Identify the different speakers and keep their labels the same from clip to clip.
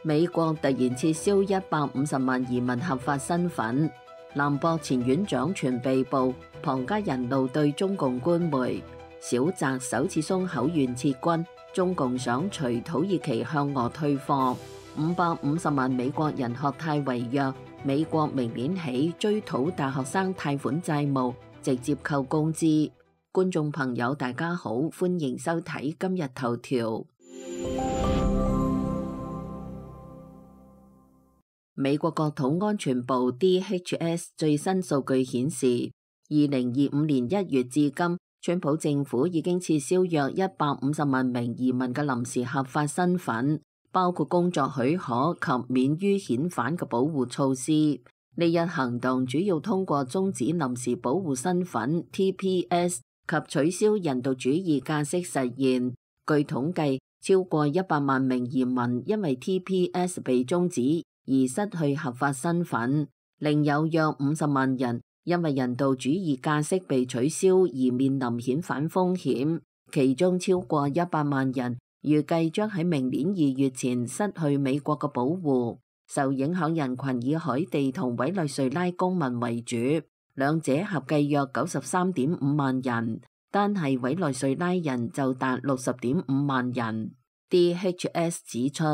Speaker 1: 美國突然撤銷150萬移民合法身份，南博前院長傳被捕，旁家人怒對中共官媒，小澤首次鬆口願撤軍，中共想隨土耳其向俄退貨，550萬美國人學貸違約，美國明年起追討大學生貸款債務，直接扣工資。觀眾朋友大家好，歡迎收睇今日頭條。美國國土安全部 DHS 最新數據顯示，2025年1月至今，川普政府已經撤銷約150萬名移民嘅臨時合法身份，包括工作許可及免於遣返嘅保護措施。呢一行動主要通過終止臨時保護身份 TPS 及取消人道主義假釋實現。據統計，超過100萬名移民因為 TPS 被終止而失去合法身份，另有約50萬人因為人道主義假釋被取消而面臨遣返風險，其中超過100萬人預計將喺明年2月前失去美國嘅保護。受影響人群以海地同委內瑞拉公民為主，兩者合計約93.5萬人，單係委內瑞拉人就達60.5萬人。DHS 指出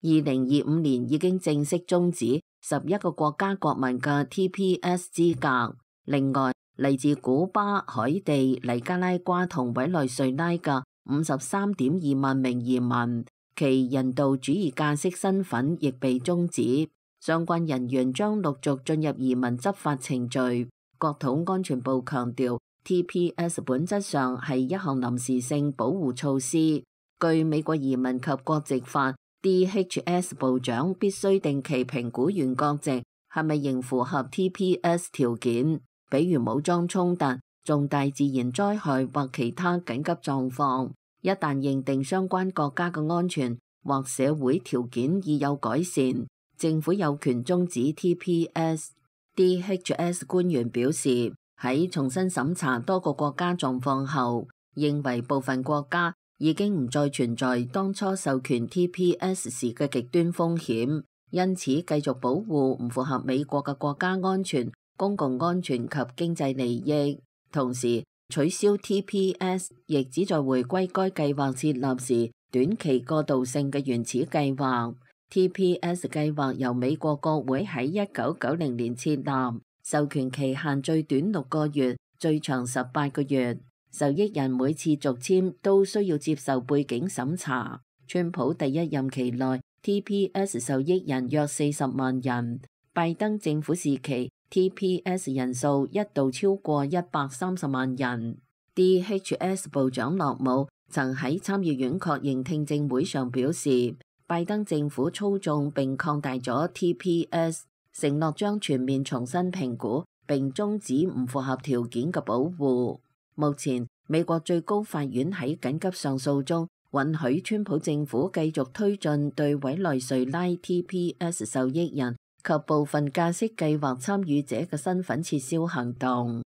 Speaker 1: ，2025年已經正式終止11個國家國民嘅 TPS 資格。另外，嚟自古巴、海地、尼加拉瓜同委內瑞拉嘅53.2萬名移民，其人道主義假釋身份亦被終止。相關人員將陸續進入移民執法程序。國土安全部強調 ，TPS 本質上係一項臨時性保護措施。據美國移民及國籍法，DHS 部長必須定期評估原國籍係咪仍符合 TPS 條件，比如武裝衝突、重大自然災害或其他緊急狀況。一旦認定相關國家嘅安全或社會條件已有改善，政府有權終止 TPS。DHS 官員表示，喺重新審查多個國家狀況後，認為部分國家已經唔再存在當初授權 TPS 時嘅極端風險，因此繼續保護唔符合美國嘅國家安全、公共安全及經濟利益。同時，取消 TPS 亦旨在回歸該計劃設立時短期過渡性嘅原始計劃。TPS 計劃由美國國會喺1990年設立，授權期限最短6個月，最長18個月。受益人每次續簽都需要接受背景審查。川普第一任期內 TPS 受益人約40萬人，拜登政府時期 TPS 人數一度超過130萬人。DHS 部長洛姆曾喺參議院確認聽證會上表示，拜登政府操縱並擴大咗 TPS， 承諾將全面重新評估並終止唔符合條件嘅保護。目前，美國最高法院喺緊急上訴中允許川普政府繼續推進對委內瑞拉 TPS 受益人及部分假釋計劃參與者嘅身份撤銷行動。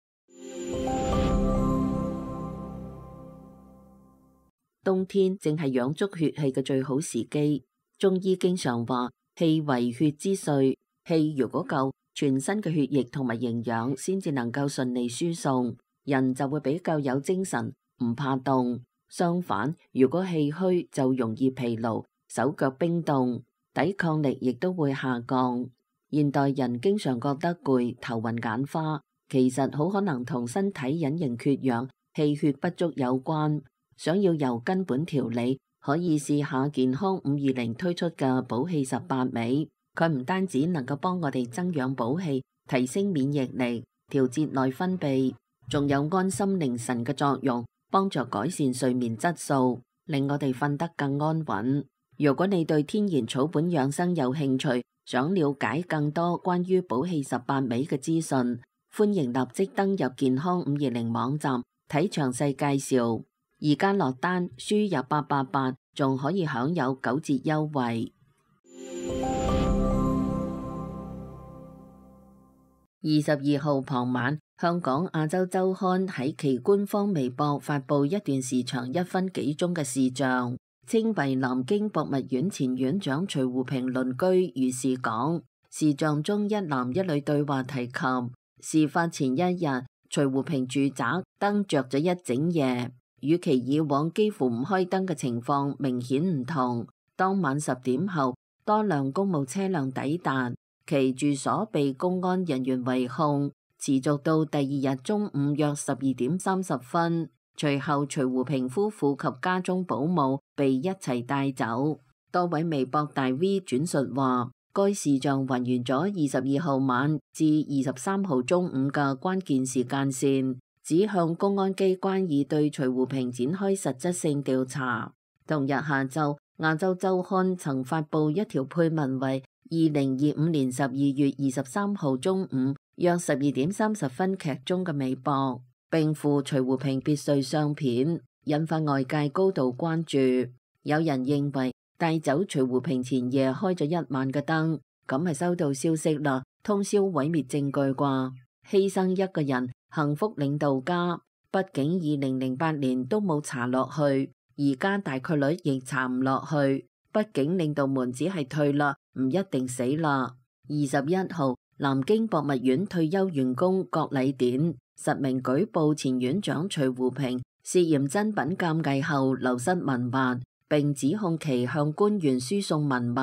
Speaker 1: 冬天正係養足血氣嘅最好時機。中醫經常話，氣為血之髓，氣如果夠，全身嘅血液同埋營養先至能夠順利輸送，人就會比較有精神，唔怕凍。相反，如果氣虛就容易疲勞，手腳冰凍，抵抗力亦都會下降。現代人經常覺得攰、頭暈眼花，其實好可能同身體隱形缺氧、氣血不足有關。想要由根本調理，可以試下健康520推出嘅補氣18味。佢唔單止能夠幫我哋增氧補氣、提升免疫力、調節內分泌，仲有安心寧神嘅作用，幫助改善睡眠質素，令我哋瞓得更安穩。如果你對天然草本養生有興趣，想了解更多關於補氣18味嘅資訊，歡迎立即登入健康520網站睇詳細介紹。而家落單輸入888，仲可以享有9折優惠。22號傍晚，香港亞洲週刊喺其官方微博發布一段時長1分幾鐘嘅視像，稱為南京博物院前院長徐湖平鄰居如是講。視像中一男一女對話提及，事發前一日徐湖平住宅燈着咗一整夜，與其以往幾乎唔開燈嘅情況明顯唔同。當晚10點後，多輛公務車輛抵達，其住所被公安人員圍控，持續到第二日中午約12點30分。隨後徐湖平夫婦及家中保姆被一齊帶走。多位微博大 V 轉述話，該視像還原咗22號晚至23號中午嘅關鍵時間線，指向公安機關已對徐湖平展開實質性調查。同日下晝，亞洲週刊曾發布一條配文為2025年12月23號中午約12點30分劇中嘅微博，並附徐湖平別墅相片，引發外界高度關注。有人認為帶走徐湖平前夜開咗一晚嘅燈，咁係收到消息啦，通宵毀滅證據啩？犧牲一個人，幸福領導家。畢竟2008年都冇查落去，而家大概率亦查唔落去。畢竟領導們只係退啦，唔一定死啦。21號，南京博物院退休員工郭禮典實名舉報前院長徐湖平涉嫌珍品鑑計後流失文物，並指控其向官員輸送文物。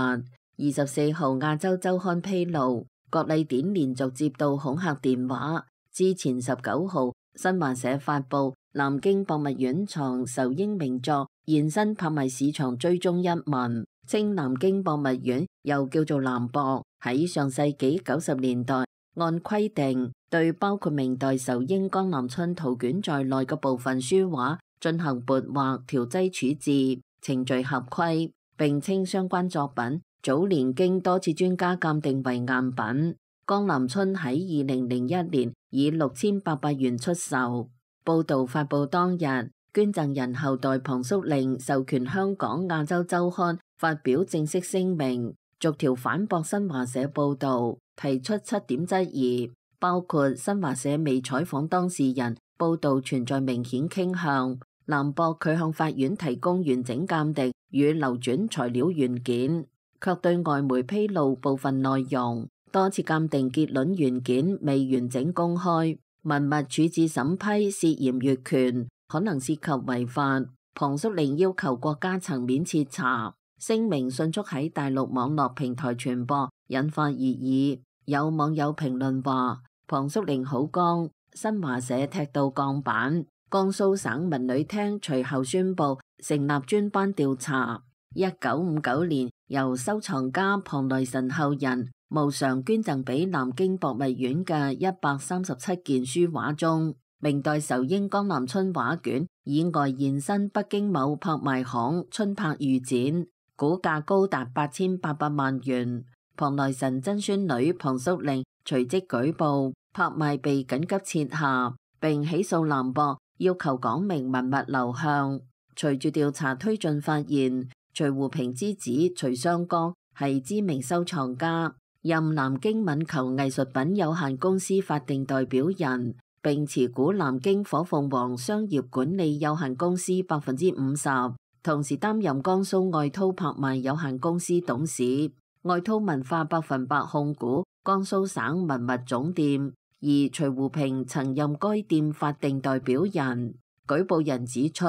Speaker 1: 24號，亞洲週刊披露，郭禮典連續接到恐嚇電話。之前19號，新華社發布南京博物院藏仇英名作現身拍賣市場追蹤一文，稱南京博物院又叫做南博，喺上世紀90年代按規定對包括明代仇英江南春圖卷在內嘅部分書畫進行撥畫調劑處置，程序合規，並稱相關作品早年經多次專家鑑定為贋品。江南春喺2001年以6800元出售。報道發布當日，捐贈人後代龐叔令授權香港亞洲週刊發表正式聲明，逐條反駁新華社報道，提出7點質疑，包括新華社未採訪當事人，報道存在明顯傾向；南博佢向法院提供完整鑑定與流轉材料原件，卻對外媒披露部分內容。多次鑑定結論原件未完整公開，文物處置審批涉嫌越權，可能涉及違法。龐叔令要求國家層面徹查，聲明迅速喺大陸網絡平台傳播，引發熱議。有網友評論話：龐叔令好剛，新華社踢到鋼板。江蘇省文旅廳隨後宣布成立專班調查。1959年，由收藏家龐來臣後人無償捐贈俾南京博物院嘅137件書畫中，明代仇英江南春畫卷以外現身北京某拍賣行春拍預展，估價高達8800萬元。龐來臣曾孫女龐叔令隨即舉報，拍賣被緊急撤下，並起訴南博，要求講明文物流向。隨住調查推進，發現徐湖平之子徐雙江係知名收藏家，任南京敏球藝術品有限公司法定代表人，並持股南京火鳳凰商業管理有限公司50%，同時擔任江蘇愛韜拍賣有限公司董事，愛韜文化100%控股江蘇省文物總店，而徐湖平曾任該店法定代表人。舉報人指出，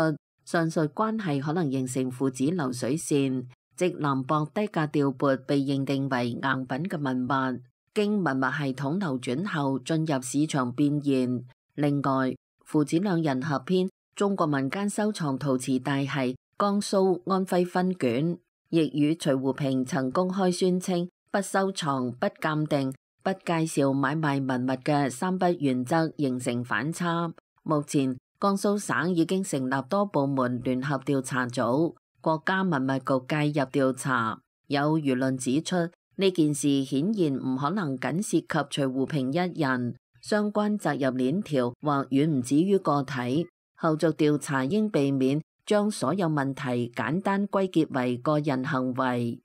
Speaker 1: 上述關係可能形成父子流水線，即南博低價調撥被認定為贋品嘅文物，經文物系統流轉後進入市場變現。另外，父子兩人合編中國民間收藏陶瓷大系江蘇安徽分卷，亦與徐湖平曾公開宣稱不收藏、不鑑定、不介紹買賣文物嘅3不原則形成反差。目前江蘇省已經成立多部門聯合調查組，國家文物局介入調查。有輿論指出，呢件事顯然唔可能僅涉及徐湖平一人，相關責任鏈條或遠唔止於個體。後續調查應避免將所有問題簡單歸結為個人行為。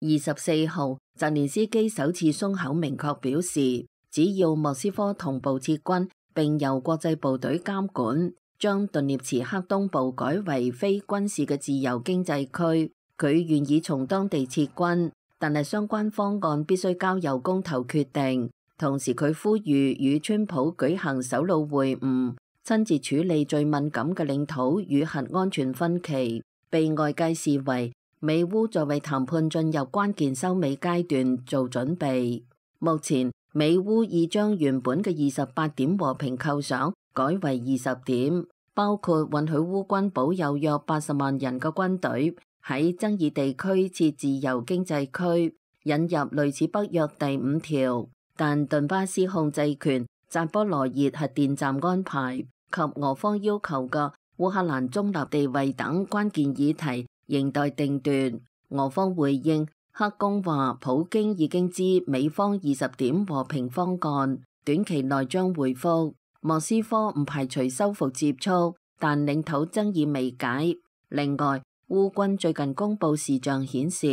Speaker 1: 24號，澤連斯基首次鬆口明確表示，只要莫斯科同步撤軍，並由國際部隊監管，將頓涅茨克東部改為非軍事嘅自由經濟區。佢願意從當地撤軍，但係相關方案必須交由公投決定。同時佢呼籲與川普舉行首腦會晤，親自處理最敏感嘅領土與核安全分歧，被外界視為美烏在為談判進入關鍵收尾階段做準備。目前美烏已將原本嘅28點和平構想改為20點，包括允許烏軍保有約80萬人嘅軍隊，喺爭議地區設自由經濟區，引入類似北約第5條，但頓巴斯控制權、扎波羅熱核電站安排及俄方要求嘅烏克蘭中立地位等關鍵議題仍待定奪。俄方回應，克宮話普京已經知美方20點和平方案，短期內將回覆。莫斯科唔排除修復接觸，但領土爭議未解。另外，烏軍最近公布視像顯示，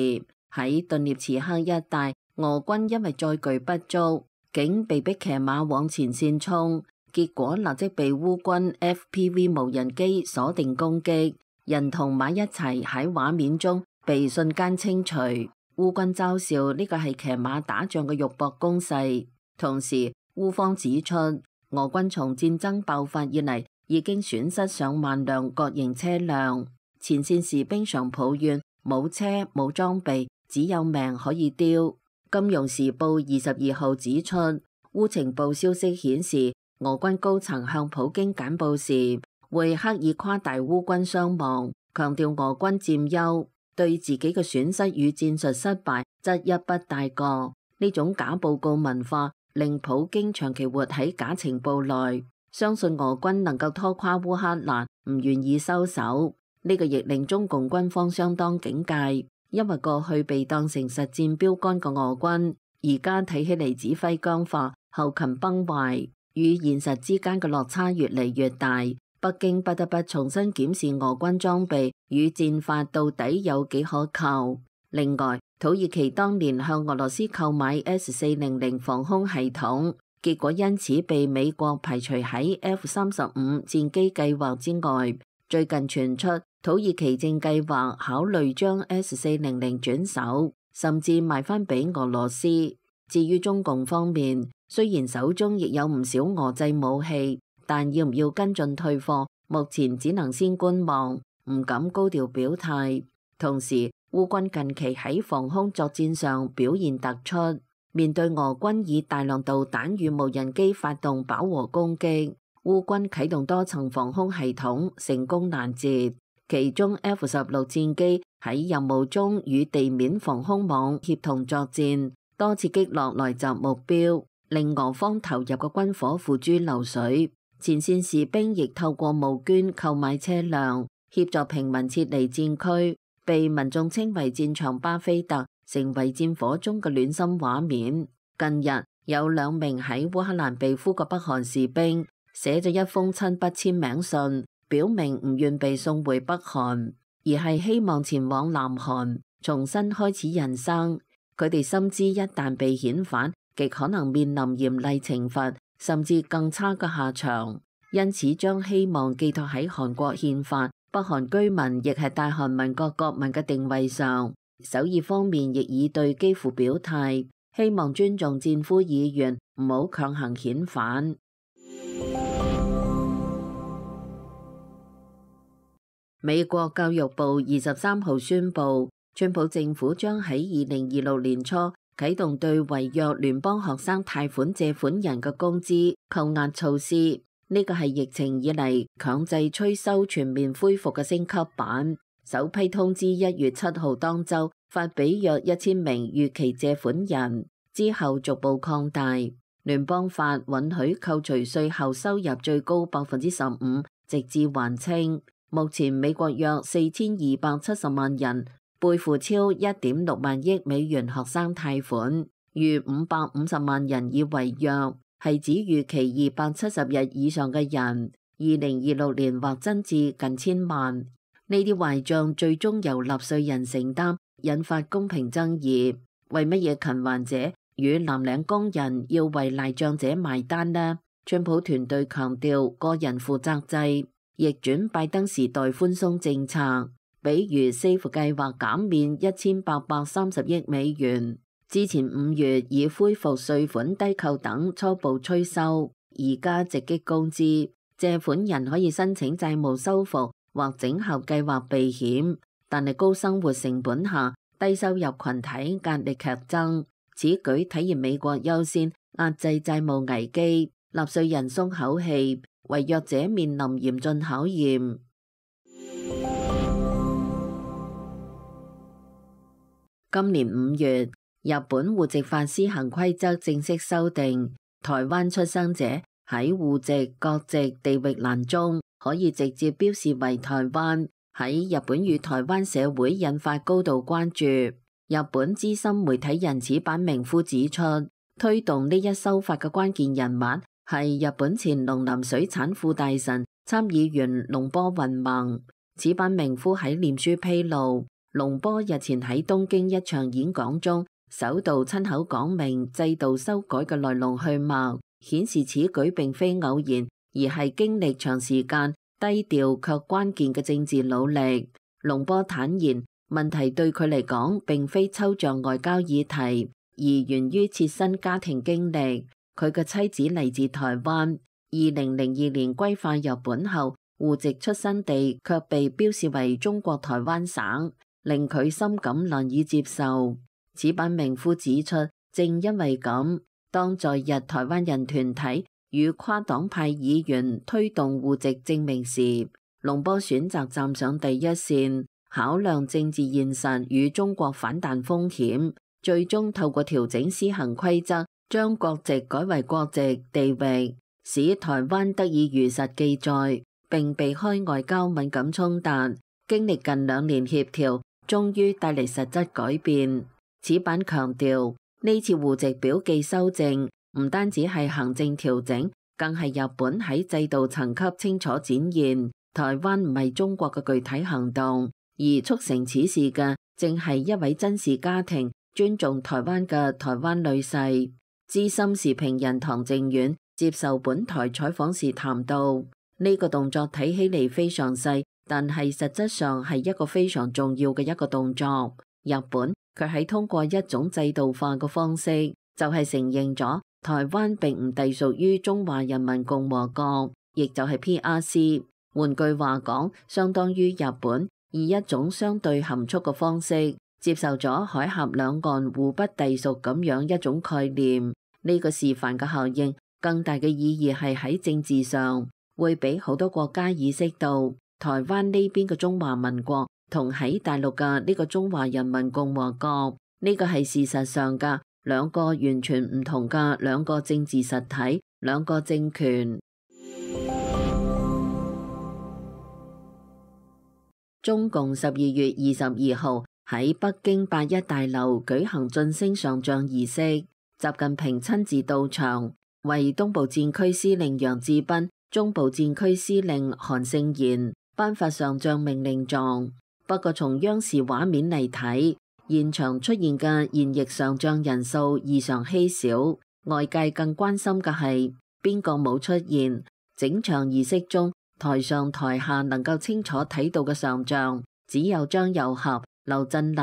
Speaker 1: 喺頓涅茨克一帶，俄軍因為載具不足，竟被迫騎馬往前線衝，結果立即被烏軍 FPV 無人機鎖定攻擊，人同馬一齊喺畫面中被瞬間清除。烏軍嘲笑呢個係騎馬打仗嘅肉搏攻勢。同時，烏方指出，俄軍從戰爭爆發以嚟已經損失上萬輛各型車輛。前線士兵常抱怨冇車冇裝備，只有命可以丟。金融時報22號指出，烏情報消息顯示，俄軍高層向普京簡報時會刻意誇大烏軍傷亡，強調俄軍佔優，對自己嘅損失與戰術失敗則一筆帶過。呢種假報告文化令普京長期活喺假情報內，相信俄軍能夠拖垮烏克蘭，唔願意收手。呢個亦令中共軍方相當警戒，因為過去被當成實戰標杆嘅俄軍，而家睇起嚟指揮僵化、後勤崩壞，與現實之間嘅落差越嚟越大。北京不得不重新檢視俄軍裝備與戰法到底有幾可靠。另外，土耳其當年向俄羅斯購買 S400防空系統，結果因此被美國排除喺 F-35戰機計劃之外。最近傳出，土耳其正計劃考慮將 S400轉手，甚至賣翻俾俄羅斯。至於中共方面，雖然手中亦有唔少俄製武器，但要唔要跟進退貨，目前只能先觀望，唔敢高調表態。同時，烏軍近期喺防空作戰上表現突出，面對俄軍以大量導彈與無人機發動飽和攻擊，烏軍啟動多層防空系統，成功攔截。其中 F-16戰機喺任務中與地面防空網協同作戰，多次擊落來襲目標，令俄方投入嘅軍火付諸流水。前線士兵亦透過募捐購買車輛，協助平民撤離戰區，被民眾稱為戰場巴菲特，成為戰火中嘅暖心畫面。近日有2名喺烏克蘭被俘嘅北韓士兵寫咗一封親筆簽名信，表明唔願被送回北韓，而係希望前往南韓重新開始人生。佢哋深知一旦被遣返，極可能面臨嚴厲懲罰，甚至更差嘅下場，因此將希望寄託喺韓國憲法、北韓居民亦係大韓民國國民嘅定位上。首爾方面亦已對基輔表態，希望尊重戰俘意願，唔好強行遣返。美國教育部23號宣布，川普政府將喺2026年初啟動對違約聯邦學生貸款借款人嘅工資扣押措施。呢個係疫情以嚟強制催收全面恢復嘅升級版。首批通知1月7號當週發俾約1000名逾期借款人，之後逐步擴大。聯邦法允許扣除稅後收入最高15%，直至還清。目前美國約4270萬人背負超1.6萬億美元學生貸款，逾550萬人已違約，係指逾期270日以上嘅人，2026年或增至近1000萬。呢啲壞賬最終由納稅人承擔，引發公平爭議。為乜嘢勤還者與藍領工人要為賴賬者埋單呢？川普團隊強調個人負責制，逆轉拜登時代寬鬆政策，比如 SAFE 計劃減免1830億美元，之前5月已恢復稅款低扣等初步催收，而家直擊公資，借款人可以申請債務修復或整合計劃避險，但係高生活成本下，低收入群體壓力劇增。此舉體現美國優先壓制債務危機，納稅人鬆口氣，違約者面臨嚴峻考驗。今年5月，日本戶籍法施行規則正式修訂，台灣出生者喺戶籍、國籍、地域欄中可以直接標示為台灣，喺日本與台灣社會引發高度關注。日本資深媒體人矢板明夫指出，推動呢一修法嘅關鍵人物係日本前農林水產副大臣、參議員龍波雲萌。矢板明夫喺臉書披露，龍波日前喺東京一場演講中，首度親口講明制度修改嘅來龍去脈，顯示此舉並非偶然，而係經歷長時間低調卻關鍵嘅政治努力。龍波坦言，問題對佢嚟講並非抽象外交議題，而源於切身家庭經歷。佢嘅妻子嚟自台灣，2002年歸化日本後，戶籍出生地卻被標示為中國台灣省，令佢深感難以接受。矢板明夫指出，正因為咁，當在日台灣人團體與跨黨派議員推動戶籍證明時，龍波選擇站上第一線，考量政治現實與中國反彈風險，最終透過調整施行規則，將國籍改為國籍地域，使台灣得以如實記載，並避開外交敏感衝突。經歷近2年協調，終於帶嚟實質改變。矢板強調，呢次戶籍表記修正唔單止係行政調整，更係日本喺制度層級清楚展現台灣唔係中國嘅具體行動。而促成此事嘅，正係一位珍視家庭、尊重台灣嘅台灣女婿。資深時評人唐靖遠接受本台採訪時談到，呢個動作睇起嚟非常細，但係實質上係一個非常重要嘅一個動作。日本佢喺通過一種制度化嘅方式，就係承認咗台灣並唔隸屬於中華人民共和國，亦就係 PRC。換句話講，相當於日本以一種相對含蓄嘅方式接受咗海峽兩岸互不隸屬咁樣一種概念。呢個示範嘅效應更大嘅意義係喺政治上，會俾好多國家意識到台灣呢邊嘅中華民國同喺大陸嘅呢個中華人民共和國，呢個係事實上嘅兩個完全唔同嘅兩個政治實體、兩個政權。中共12月22號喺北京8·1大樓舉行晉升上將儀式，習近平親自到場，為東部戰區司令楊志斌、中部戰區司令韓勝賢頒發上將命令狀。不過從央視畫面嚟睇，現場出現嘅現役上將人數異常稀少，外界更關心嘅係邊個冇出現。整場儀式中，台上台下能夠清楚睇到嘅上將只有張又俠、劉振立、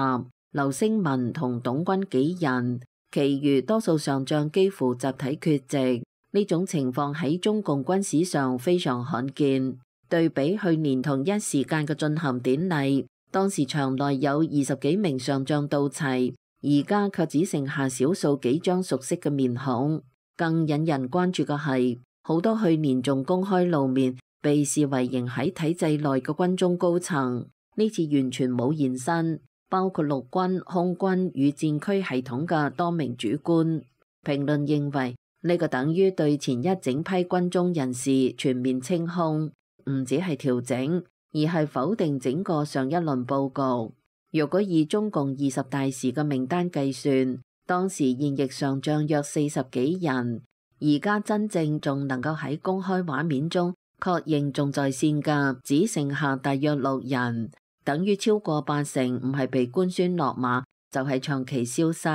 Speaker 1: 劉聲文同董軍幾人，其餘多數上將幾乎集體缺席。呢種情況喺中共軍史上非常罕見。對比去年同一時間嘅進行典禮，當時場內有20幾名上將到齊，而家卻只剩下少數幾張熟悉嘅面孔。更引人關注嘅係，好多去年仲公開露面，被視為仍喺體制內嘅軍中高層，呢次完全冇現身，包括陸軍、空軍與戰區系統嘅多名主官。評論認為，呢個等於對前一整批軍中人士全面清空，唔只係調整，而係否定整個上一輪佈局。若果以中共20大時嘅名單計算，當時現役上將約40幾人，而家真正仲能夠喺公開畫面中確認仲在線嘅，只剩下大約6人，等於超過80%唔係被官宣落馬，就係長期消失。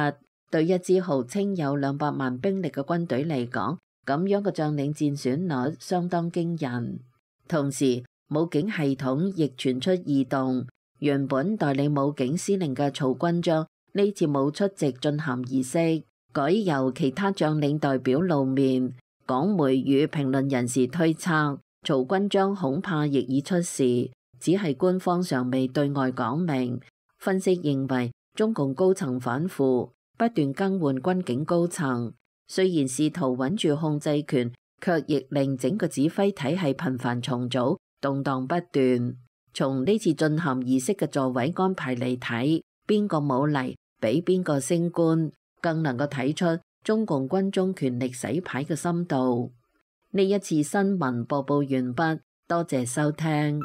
Speaker 1: 對一支號稱有200萬兵力嘅軍隊嚟講，咁樣嘅將領戰損率相當驚人。同時，武警系統亦傳出異動，原本代理武警司令嘅曹軍章呢次冇出席進涵儀式，改由其他將領代表露面。港媒與評論人士推測，曹軍章恐怕亦已出事，只係官方尚未對外講明。分析認為，中共高層反腐，不斷更換軍警高層，雖然試圖穩住控制權，卻亦令整個指揮體系頻繁重組，動盪不斷。從呢次進涵儀式嘅座位安排嚟睇，邊個冇嚟，俾邊個升官，更能夠睇出中共軍中權力洗牌嘅深度。呢一次新聞播報完畢，多謝收聽。